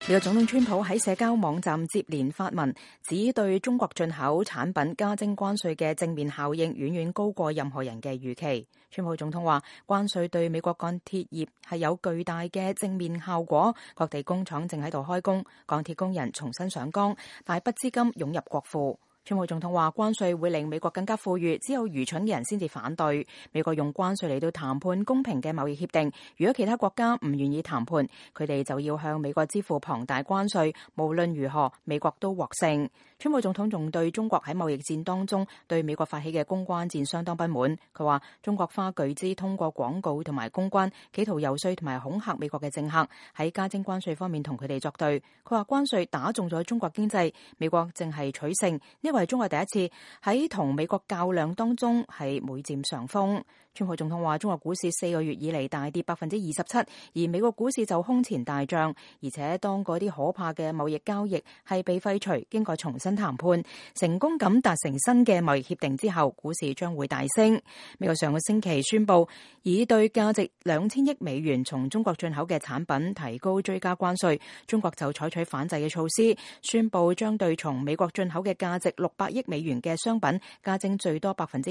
美國總統川普喺社交網站接連發文，指對中國進口產品加徵關稅嘅正面效應遠遠高過任何人嘅預期。川普總統話，關稅對美國鋼鐵業係有巨大嘅正面效果，各地工廠正喺度開工，鋼鐵工人重新上崗，大筆資金湧入國庫。川普總統話，關稅會令美國更加富裕，只有愚蠢嘅人先至反對。美國用關稅嚟到談判公平嘅貿易協定，如果其他國家唔願意談判，佢哋就要向美國支付龐大關稅，無論如何，美國都獲勝。川普總統仲對中國喺貿易戰當中對美國發起嘅公關戰相當不滿。佢話中國花巨資通過廣告同埋公關，企圖遊說同埋恐嚇美國嘅政客，喺加徵關稅方面同佢哋作對。佢話關稅打中咗中國經濟，美國正係取勝，呢個係中國第一次喺同美國較量當中係每佔上風。川普總統話，中國股市4個月以嚟大跌27%，而美國股市就空前大漲，而且當嗰啲可怕嘅貿易交易係被廢除，經過重新談判，成功咁達成新嘅貿易協定之後，股市將會大升。美國上個星期宣布，以對價值2000億美元從中國進口嘅產品提高追加關稅，中國就採取反制嘅措施，宣布將對從美國進口嘅價值600億美元嘅商品加徵最多25%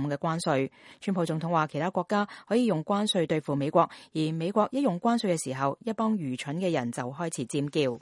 嘅關稅。川普總統話，其他國家可以用關稅對付美國，而美國一用關稅嘅時候，一幫愚蠢嘅人就開始尖叫。